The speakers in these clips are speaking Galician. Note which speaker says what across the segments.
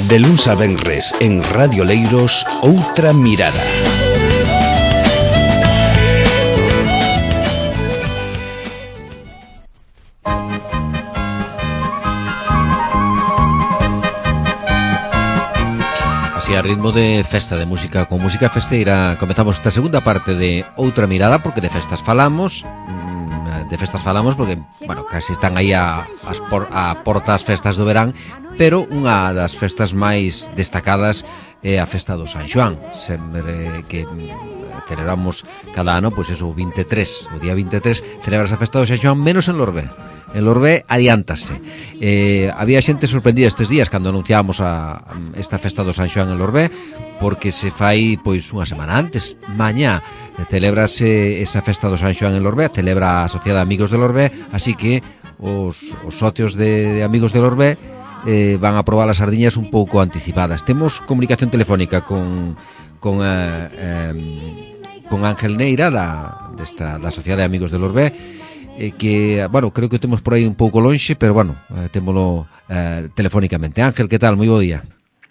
Speaker 1: De luns a venres en Radio Leiros, Outra Mirada.
Speaker 2: Así, a ritmo de festa, de música, con música festeira, comezamos esta segunda parte de Outra Mirada, porque de festas falamos porque, bueno, casi están aí a portas festas do verán, pero unha das festas máis destacadas é a festa do San Xoán, sempre que celebramos cada ano, pois eso, o 23, o día 23, celebra esa festa do San Xoán, menos en Lorbé. En Lorbé adiántase. Había xente sorprendida estes días cando anunciábamos esta festa do San Xoán en Lorbé, porque se fai pois unha semana antes. Mañá celebrase esa festa do San Xoán en Lorbé, celebra a Sociedade de Amigos de Lorbé, así que os socios de Amigos de Lorbé van a probar as sardiñas un pouco anticipadas. Temos comunicación telefónica con Ángel Neira da Sociedade de Amigos de Lorbé, que, bueno, creo que temos por aí un pouco lonxe, pero, bueno, témolo telefónicamente. Ángel, que tal? Moi bo día.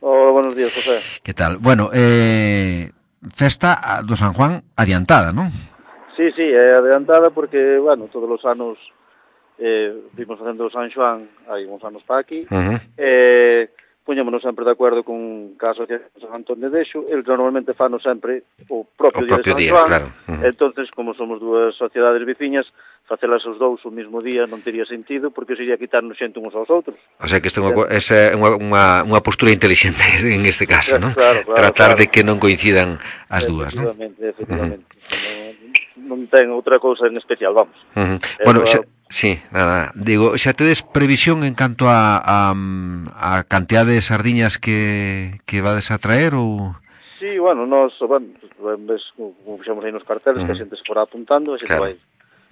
Speaker 3: Hola, buenos días, José.
Speaker 2: Que tal? Bueno, festa do San Juan adiantada, non?
Speaker 3: Sí, é adiantada porque, bueno, todos os anos vimos facendo o San Xoán hai uns anos para aquí, puñémonos sempre de acordo con a Asociación de San Antón de Dexo, eles normalmente fano sempre o propio día de San Xoán,
Speaker 2: claro.
Speaker 3: Entonces, como somos dúas sociedades veciñas, facelas os dous o mesmo día non tería sentido, porque sería quitarnos xente uns aos outros.
Speaker 2: O sea, que é unha postura inteligente en este caso, non?
Speaker 3: Claro,
Speaker 2: Tratar de que non coincidan as dúas, non?
Speaker 3: Efectivamente. Non ten outra cousa en especial, vamos.
Speaker 2: Bueno, sí, nada. Digo, xa tedes previsión en canto a cantidad de sardiñas que vades a traer ou...
Speaker 3: Sí, bueno, ves como fixamos aí nos carteles, que a xente se fora apuntando, a xente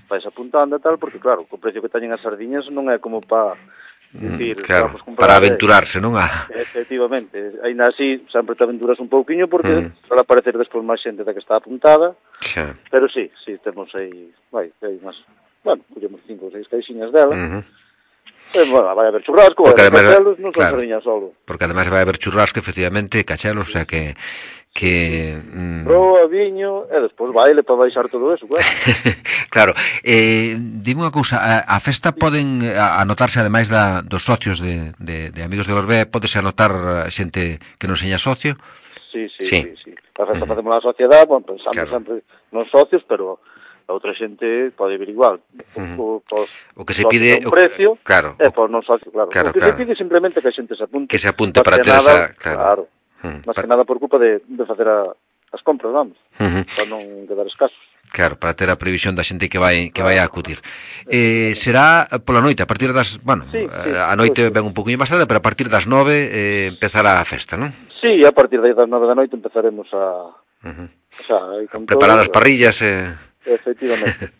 Speaker 3: vais apuntando e tal, porque claro, co precio que teñen as sardiñas non é como para decir,
Speaker 2: claro, para aventurarse, non?
Speaker 3: Efectivamente, ainda así sempre te aventuras un pouquiño porque para aparecer despois máis xente da que está apuntada, pero sí, temos aí, hai máis, bueno, collemos 5 ou 6 caixinhas dela, bueno, vai haber churrasco, vai haber cachelos, non son sardiñas solo.
Speaker 2: Porque ademais vai haber churrasco, efectivamente, cachelos, o sea que
Speaker 3: proa, viño, e despois baile para baixar todo eso, claro.
Speaker 2: Claro, dime unha cousa, a festa poden anotarse, ademais dos socios de Amigos de Lorbé, podese anotar xente que non seña socio?
Speaker 3: Sí. A festa facemos a sociedade, bueno, pensando sempre nos socios, pero a outra xente pode vir igual.
Speaker 2: O que se pide...
Speaker 3: O precio,
Speaker 2: claro.
Speaker 3: Por non socios, claro. O que se pide simplemente que a xente se apunte.
Speaker 2: Que se apunte para ter esa...
Speaker 3: Claro. Más que nada por culpa de facer as compras, vamos, para non quedar escasos.
Speaker 2: Claro, para ter a previsión da xente que vai a acudir. Será pola noite, a partir das... Bueno, a noite ven un poquinho máis tarde, pero a partir das 9 empezará a festa, non?
Speaker 3: Sí, a partir das 9 da noite empezaremos a
Speaker 2: preparar as parrillas.
Speaker 3: Efectivamente.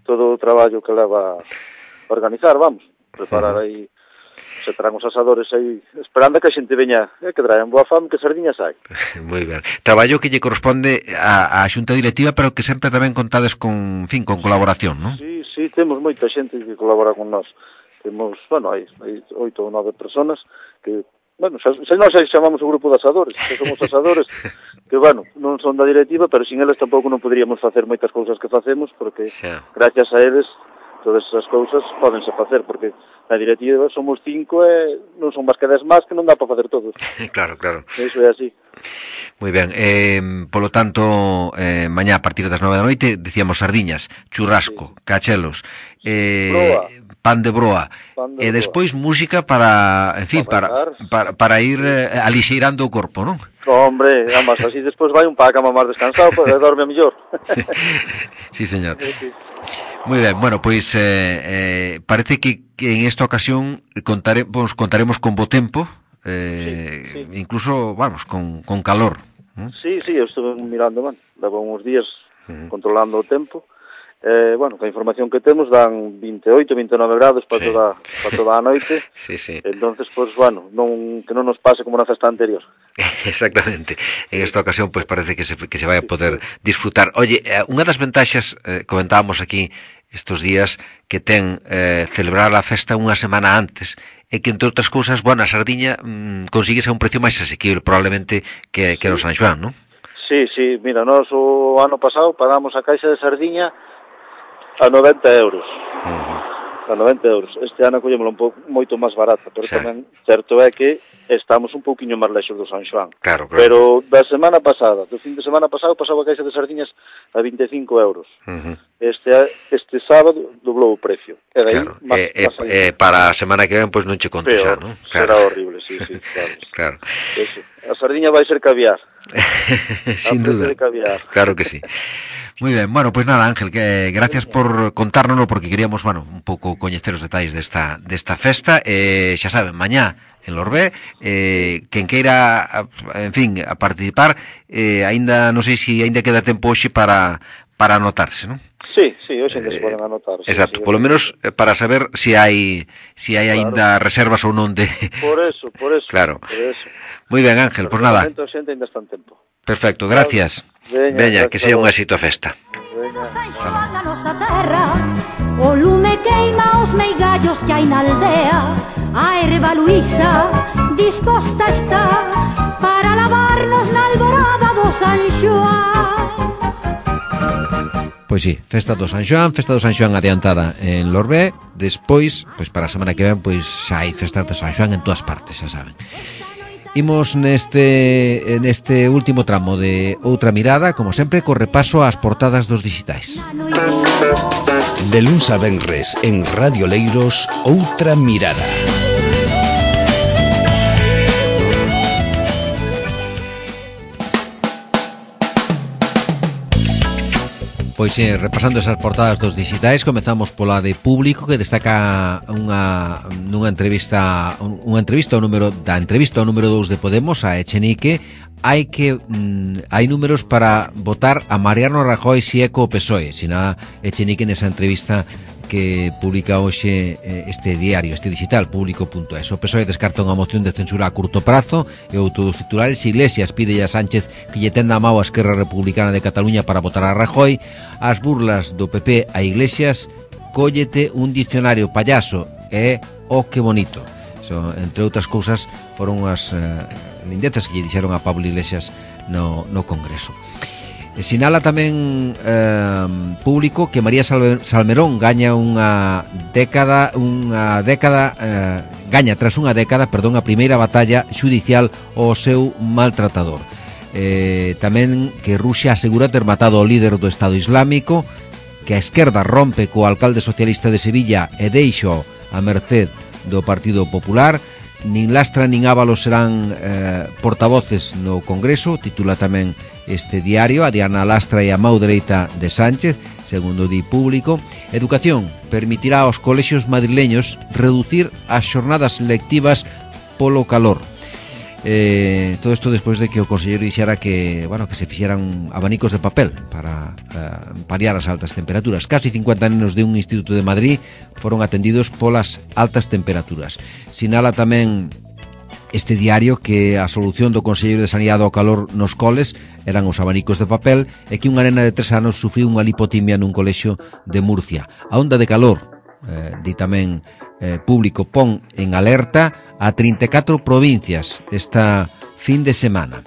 Speaker 3: Todo o traballo que leva a organizar, vamos, preparar aí... Se traen os asadores aí, esperando que a xente veña, que traen boa fame, que sardiñas hai.
Speaker 2: Moi ben. Traballo que lle corresponde á xunta directiva, pero que sempre tamén contades con colaboración, non?
Speaker 3: Sí, temos moita xente que colabora con nós. Temos, bueno, hai 8 ou 9 personas que, bueno, se nós chamamos o grupo de asadores, que somos asadores, que, bueno, non son da directiva, pero sin eles tampouco non poderíamos facer moitas cousas que facemos, porque gracias a eles todas esas cousas pódense facer, porque na directiva somos 5 e non son máis que 10 máis que non dá para facer todos.
Speaker 2: Claro.
Speaker 3: Iso é así.
Speaker 2: Moi ben, polo tanto, mañá a partir das 9 da noite, decíamos sardiñas, churrasco, cachelos, pan de broa, e despois música para, en fin, para ir alixeirando o corpo, non?
Speaker 3: Hombre, ambas, así despois vai un pa a cama máis descansado, para dorme mellor.
Speaker 2: Sí, señor. Moi ben, bueno, pois parece que en esta ocasión contaremos con bo tempo, incluso, vamos, con calor.
Speaker 3: Sí, eu estuve mirando, levo uns días controlando o tempo, bueno, a información que temos dan 28, 29 grados para toda a noite.
Speaker 2: Sí.
Speaker 3: Entonces, pues, bueno, que non nos pase como na festa anterior.
Speaker 2: Exactamente. En esta ocasión, pues parece que se vai a poder disfrutar. Oye, unha das ventaxas, comentábamos aquí estos días, que ten celebrar a festa unha semana antes, é que, entre outras cousas, bueno, a sardiña consigues a un precio máis asequible, probablemente, que o San Xoán, non?
Speaker 3: Sí, mira, nós o ano pasado pagamos a caixa de sardiña a 90 euros. A 90 euros. Este ano collémoslo un pouco moito máis barata, pero tamén certo é que estamos un pouquiño máis lexos do San Xoán.
Speaker 2: Claro.
Speaker 3: Pero da semana pasada, do fin de semana pasado, pasaba a caixa de sardiñas a 25 euros. Este sábado doblou o precio. E daí,
Speaker 2: para a semana que ven, pois non che conto xa, non?
Speaker 3: Será horrible, sí, claro.
Speaker 2: Claro.
Speaker 3: Eso. A sardiña vai ser caviar.
Speaker 2: Sin duda. Claro que sí. Muy ben, bueno, pues nada, Ángel, que gracias por contárnoslo, porque queríamos, bueno, un pouco coñecer os detalles desta festa. Xa saben, mañá en Lorbé, quen queira, en fin, a participar, aínda non sei se aínda queda tempo hoxe para anotarse, non?
Speaker 3: Sí, hoxe se poden anotar.
Speaker 2: Exacto, polo menos para saber se hai aínda reservas ou non de...
Speaker 3: Por eso.
Speaker 2: Claro.
Speaker 3: Por eso.
Speaker 2: Moi ben, Ángel, pois nada.
Speaker 3: Por xente ainda está en tempo.
Speaker 2: Perfecto, gracias. Veña, que sea un éxito a festa.
Speaker 4: O lume queima os meigallos que hai na aldea. A erva Luísa disposta está para lavarnos na alborada do San Xoán.
Speaker 2: Pois sí, festa do San Xoán adiantada en Lorbé. Despois, pois para a semana que ven, pois xa hai festas do San Xoán en todas partes, xa saben. Imos neste último tramo de Outra Mirada, como sempre, co repaso ás portadas dos dixitais.
Speaker 1: De luns a venres en Radio Leiros, Outra Mirada.
Speaker 2: Pois repasando esas portadas dos dixitais, comezamos pola de Público, que destaca unha entrevista ao número 2 de Podemos a Echenique. Hai números para votar a Mariano Rajoy si é co PSOE, sinala Echenique nesa entrevista que publica hoxe este diario, este digital, Público.es. O PSOE descarta unha moción de censura a curto prazo e outro dos titulares. Iglesias pide a Sánchez que lle tenda a mao a Esquerra Republicana de Cataluña para votar a Rajoy. As burlas do PP a Iglesias, cóllete un dicionario payaso e que bonito. Entre outras cousas, foron as lindezas que lle dixeron a Pablo Iglesias no Congreso. Sinala tamén Público que María Salmerón gaña tras unha década, a primeira batalla xudicial ao seu maltratador. Tamén que Rusia asegura ter matado ao líder do Estado Islámico, que a esquerda rompe co alcalde socialista de Sevilla e deixo a merced do Partido Popular. Nin Lastra nin Ábalos serán portavoces no Congreso, titula tamén este diario. A Diana Lastra e a mão dereita de Sánchez, segundo di Público. Educación permitirá aos colexios madrileños reducir as xornadas lectivas polo calor. Todo isto despois de que o conselleiro dixera que se fixeran abanicos de papel para paliar as altas temperaturas. Casi 50 nenos de un instituto de Madrid foron atendidos polas altas temperaturas. Sinala tamén este diario que a solución do conselleiro de Sanidade ao calor nos coles eran os abanicos de papel e que unha nena de 3 anos sufriu unha lipotimia nun colexio de Murcia. A onda de calor, di tamén Público, pon en alerta a 34 provincias esta fin de semana.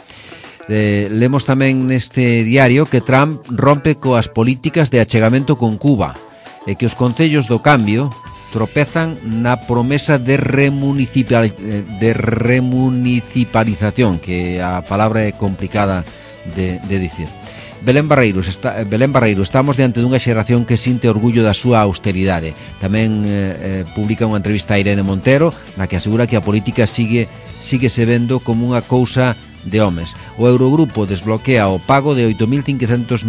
Speaker 2: Lemos tamén neste diario que Trump rompe coas políticas de achegamento con Cuba e que os concellos do cambio tropezan na promesa de remunicipalización, que a palabra é complicada de dicir. Belén Barreiro, estamos diante dunha xeración que sinte orgullo da súa austeridade. Tamén publica unha entrevista a Irene Montero na que asegura que a política sigue se vendo como unha cousa de homes. O Eurogrupo desbloquea o pago de 8.500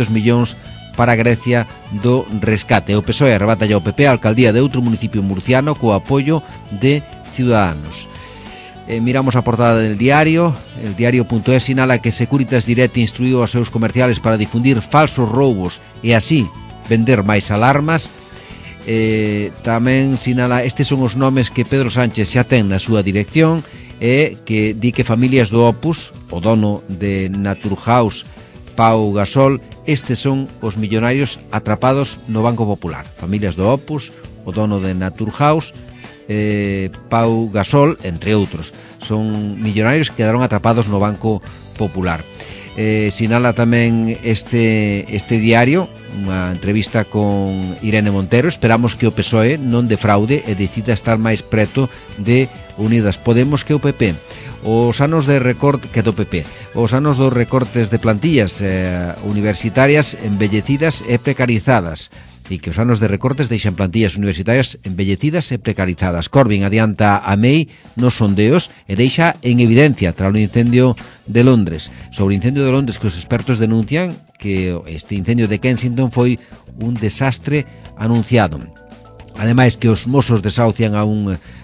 Speaker 2: millóns para Grecia do rescate. O PSOE arrebata ao PP a alcaldía de outro municipio murciano co apoio de Ciudadanos. Miramos a portada del diario. El diario.es sinala que Securitas Direct instruiu aos seus comerciales para difundir falsos roubos e así vender máis alarmas. Tamén sinala, estes son os nomes que Pedro Sánchez xa ten na súa dirección e que di que familias do Opus, o dono de Naturhaus, Pau Gasol, estes son os millonarios atrapados no Banco Popular. Familias do Opus, o dono de Naturhaus, Pau Gasol, entre outros. Son millonarios que quedaron atrapados no Banco Popular. Sinala tamén este diario unha entrevista con Irene Montero. Esperamos que o PSOE non defraude e decida estar máis preto de Unidas Podemos que o PP. Os anos de recorte que do PP. Os anos dos recortes de plantillas universitarias embellecidas e precarizadas, e que os anos de recortes deixan plantillas universitarias embellecidas e precarizadas. Corbyn adianta a May nos sondeos e deixa en evidencia tras o incendio de Londres. Sobre o incendio de Londres, que os expertos denuncian que este incendio de Kensington foi un desastre anunciado. Ademais, que os mozos desahucian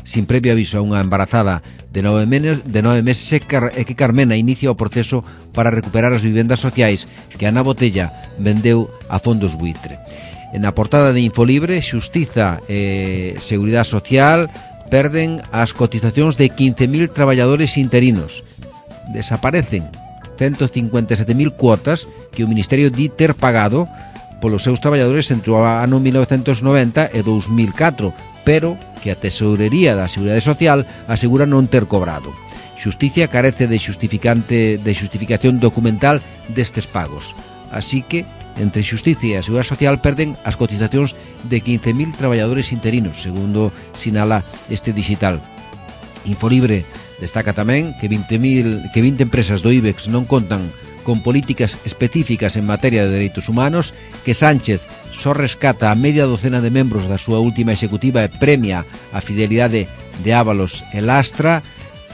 Speaker 2: sin previo aviso a unha embarazada de 9 meses e que Carmena inicia o proceso para recuperar as vivendas sociais que Ana Botella vendeu a fondos buitre. Na portada de Infolibre, Xustiza e Seguridade Social perden as cotizacións de 15.000 traballadores interinos. Desaparecen 157.000 cuotas que o Ministerio di ter pagado polos seus traballadores entre o ano 1990 e 2004, pero que a Tesourería da Seguridade Social asegura non ter cobrado. Xustiza carece de xustificación documental destes pagos. Así que entre Xustiza e a Seguridade Social perden as cotizacións de 15.000 traballadores interinos, segundo sinala este digital. Infolibre destaca tamén que 20 empresas do IBEX non contan con políticas específicas en materia de dereitos humanos, que Sánchez só rescata a media docena de membros da súa última executiva e premia a fidelidade de Ábalos e Lastra.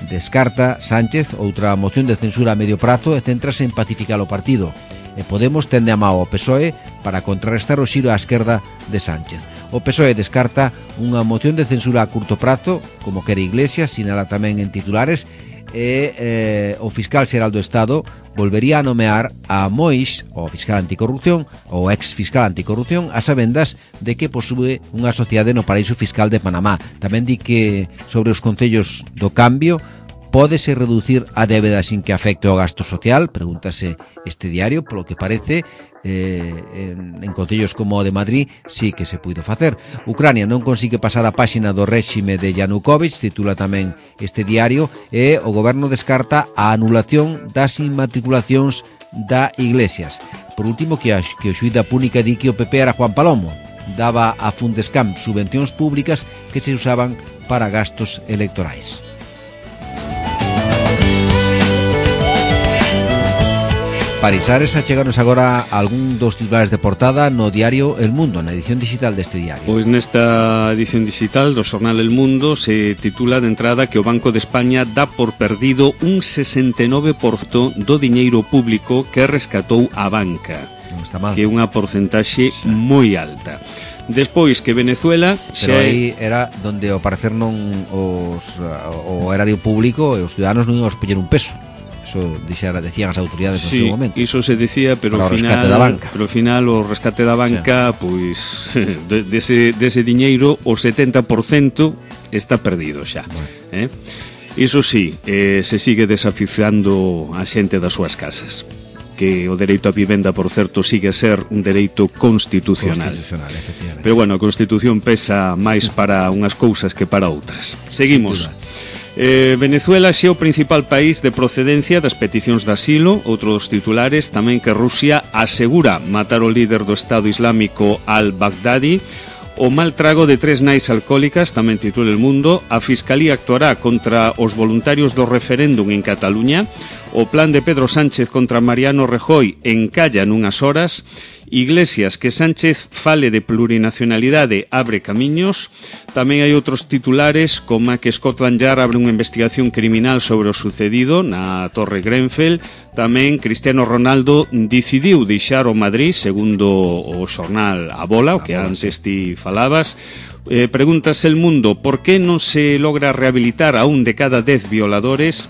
Speaker 2: Descarta Sánchez outra moción de censura a medio prazo e céntrase en pacificar o partido. E Podemos tende a mao ao PSOE para contrarrestar o xiro á esquerda de Sánchez. O PSOE descarta unha moción de censura a curto prazo, como quere Iglesias, sinala tamén en titulares, e o fiscal xeral do Estado volvería a nomear a Moix, o fiscal anticorrupción, ou ex fiscal anticorrupción, a sabendas de que posúe unha sociedade no paraíso fiscal de Panamá. Tamén di que sobre os concellos do cambio pódese reducir a débeda sin que afecte o gasto social, pregúntase este diario, polo que parece en concellos como o de Madrid sí que se puido facer. Ucrania non consigue pasar a páxina do réxime de Yanukovych, titula tamén este diario, e o goberno descarta a anulación das inmatriculacións da Iglesias. Por último, que o xuíz da Púnica di que o PP era Juan Palomo, daba a Fundescam subvencións públicas que se usaban para gastos electorais. Parisares, acheganos agora algún dos titulares de portada no diario El Mundo, na edición digital deste diario.
Speaker 5: Pois nesta edición digital do xornal El Mundo se titula de entrada que o Banco de España dá por perdido un 69% do diñeiro público que rescatou a banca,
Speaker 2: Non está mal,
Speaker 5: que é unha porcentaxe moi alta. Despois que Venezuela
Speaker 2: pero aí era donde ao parecer non o erario público e os ciudadanos non iban a poñer un peso. Eso decían as autoridades no seu momento.
Speaker 5: Iso se decía, pero ao final o rescate da banca, pois dese diñeiro o 70% está perdido xa. Iso sí, se sigue desafiando a xente das súas casas, que o dereito á vivenda, por certo, sigue a ser un dereito constitucional, pero bueno, a Constitución pesa máis para unhas cousas que para outras. Seguimos. Venezuela xe é o principal país de procedencia das peticións de asilo. Outros titulares tamén que Rusia asegura matar o líder do Estado Islámico al-Baghdadi. O mal trago de 3 nais alcohólicas, tamén titula El Mundo. A Fiscalía actuará contra os voluntarios do referéndum en Cataluña. O plan de Pedro Sánchez contra Mariano Rajoy encalla nunhas horas. Iglesias, que Sánchez fale de plurinacionalidade abre camiños. Tamén hai outros titulares como que Scotland Yard abre unha investigación criminal sobre o sucedido na Torre Grenfell. Tamén Cristiano Ronaldo decidiu deixar o Madrid, segundo o xornal A Bola, o que antes ti falabas. Pregúntase El Mundo por que non se logra rehabilitar a un de cada 10 violadores.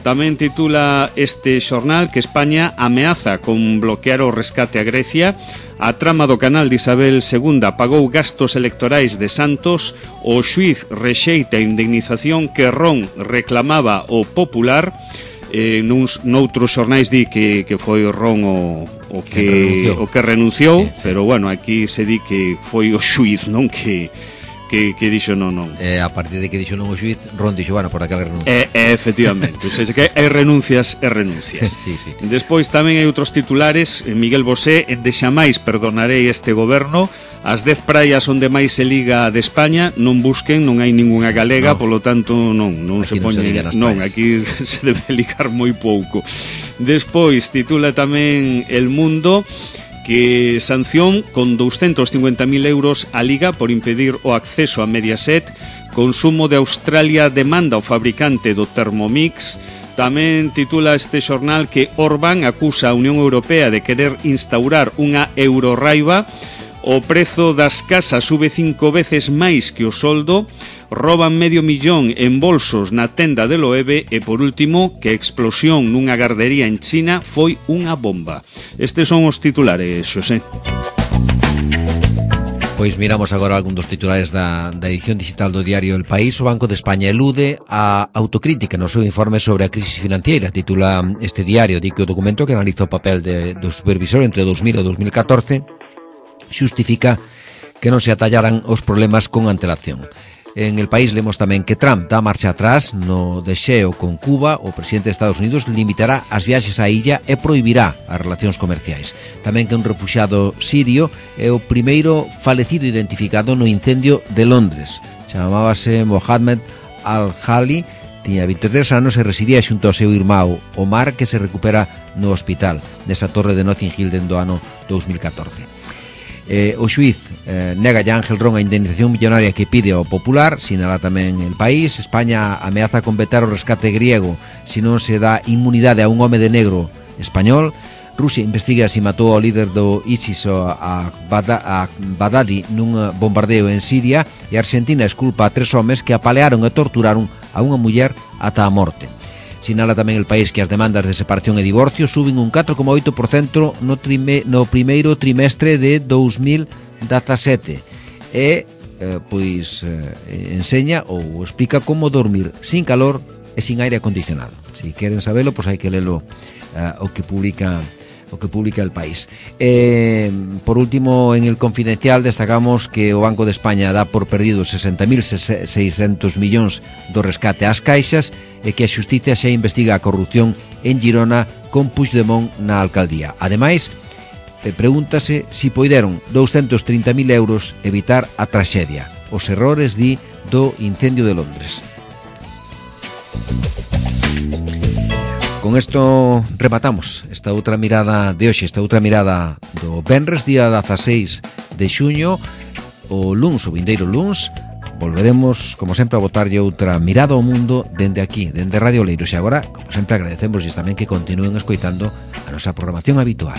Speaker 5: Tamén titula este xornal que España ameaza con bloquear o rescate a Grecia. A trama do canal de Isabel II pagou gastos electorais de Santos. O xuiz rexeita a indemnización que Ron reclamaba o Popular. Noutros xornais di que foi Ron o que renunciou, sí. Pero bueno, aquí se di que foi o xuiz, non, que que dixo non.
Speaker 2: A partir de que dixo non o xuiz, Ron dixo, bueno, por aquela renuncia.
Speaker 5: Efectivamente, o sea, que hai renuncias e renuncias.
Speaker 2: Sí, sí.
Speaker 5: Despois tamén hai outros titulares. Miguel Bosé, de xamais perdonarei este goberno. As 10 praias onde máis se liga de España non busquen, non hai ningunha galega, polo tanto non se poñen, non, aquí se debe ligar moi pouco. Despois titula tamén El Mundo que sanción con 250.000 euros a Liga por impedir o acceso a Mediaset. Consumo de Australia demanda o fabricante do Thermomix. Tamén titula este xornal que Orbán acusa a Unión Europea de querer instaurar unha eurorraiva. O prezo das casas sube 5 veces máis que o soldo. Roban $500,000 en bolsos na tenda de Loewe. E por último, que a explosión nunha gardería en China foi unha bomba. Estes son os titulares, Xosé.
Speaker 2: Pois miramos agora algún dos titulares da edición digital do diario El País. O Banco de España elude a autocrítica no seu informe sobre a crisis financiera. Titula este diario, di que o documento que analiza o papel do supervisor entre 2000 e 2014 xustifica que non se atallaran os problemas con antelación. En El País lemos tamén que Trump dá marcha atrás no desxeo con Cuba. O presidente de Estados Unidos limitará as viaxes á illa e prohibirá as relacións comerciais. Tamén que un refuxiado sirio é o primeiro falecido identificado no incendio de Londres. Chamábase Mohamed Al-Hali, tiña 23 anos e residía xunto ao seu irmão Omar, que se recupera no hospital desa torre de Notting Hill dentro do ano 2014. O xuiz nega a Ángel Ron a indemnización millonaria que pide ao Popular. Sinala tamén El País. España ameaza con vetar o rescate griego se non se dá inmunidade a un home de negro español. Rusia investiga se matou ao líder do ISIS a Baghdadi nun bombardeo en Siria. E Argentina esculpa a 3 homes que apalearon e torturaron a unha muller ata a morte. Sinala tamén El País que as demandas de separación e divorcio suben un 4,8% no primeiro trimestre de 2017 e enseña ou explica como dormir sin calor e sin aire acondicionado. Si queren sabelo, pois hai que lelo o que publica El País. Por último, en El Confidencial destacamos que o Banco de España dá por perdido 60.600 millóns do rescate ás caixas e que a Xustiza xa investiga a corrupción en Girona con Puigdemont na alcaldía. Ademais, pregúntase si poideron 230.000 euros evitar a traxedia. Os errores, di, do incendio de Londres. Con isto rematamos esta outra mirada de hoxe, esta outra mirada do venres, día 16 de xuño. O luns, o vindeiro luns, volveremos, como sempre, a botarlle outra mirada ao mundo dende aquí, dende Radio Oleiros. E agora, como sempre, agradecemos tamén que continúen escoitando a nosa programación habitual.